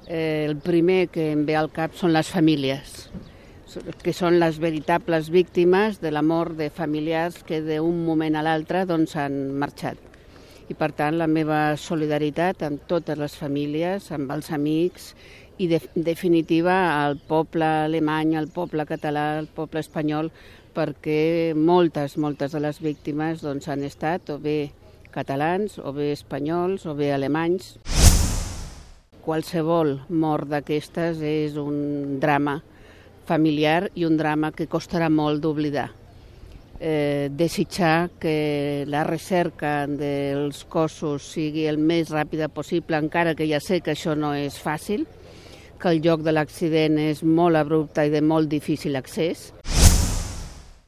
El primer que em ve al cap són les famílies, que són les veritables víctimes de la mort de familiars que d'un moment a l'altre han marxat. I per tant la meva solidaritat amb totes les famílies, amb els amics i en definitiva al poble alemany, al poble català, al poble espanyol, perquè moltes de les víctimes han estat o bé catalans, o bé espanyols, o bé alemanys. Qualsevol mort d'aquestes és un drama familiar i un drama que costarà molt d'oblidar. Desitjar que la recerca dels cossos sigui el més ràpida possible, encara que ja sé que això no és fàcil, que el lloc de l'accident és molt abrupte i de molt difícil accés.